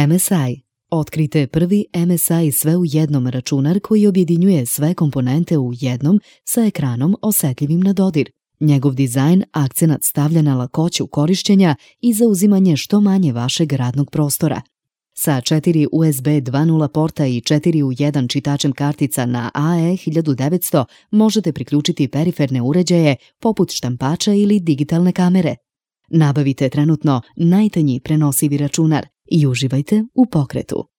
MSI. Otkrite prvi MSI sve u jednom računar koji objedinjuje sve komponente u jednom sa ekranom osetljivim na dodir. Njegov dizajn akcenat stavlja na lakoću korišćenja i zauzimanje što manje vašeg radnog prostora. Sa 4 USB 2.0 porta i 4 u 1 čitačem kartica na AE1900 možete priključiti periferne uređaje poput štampača ili digitalne kamere. Nabavite trenutno najtanji prenosivi računar i uživajte u pokretu.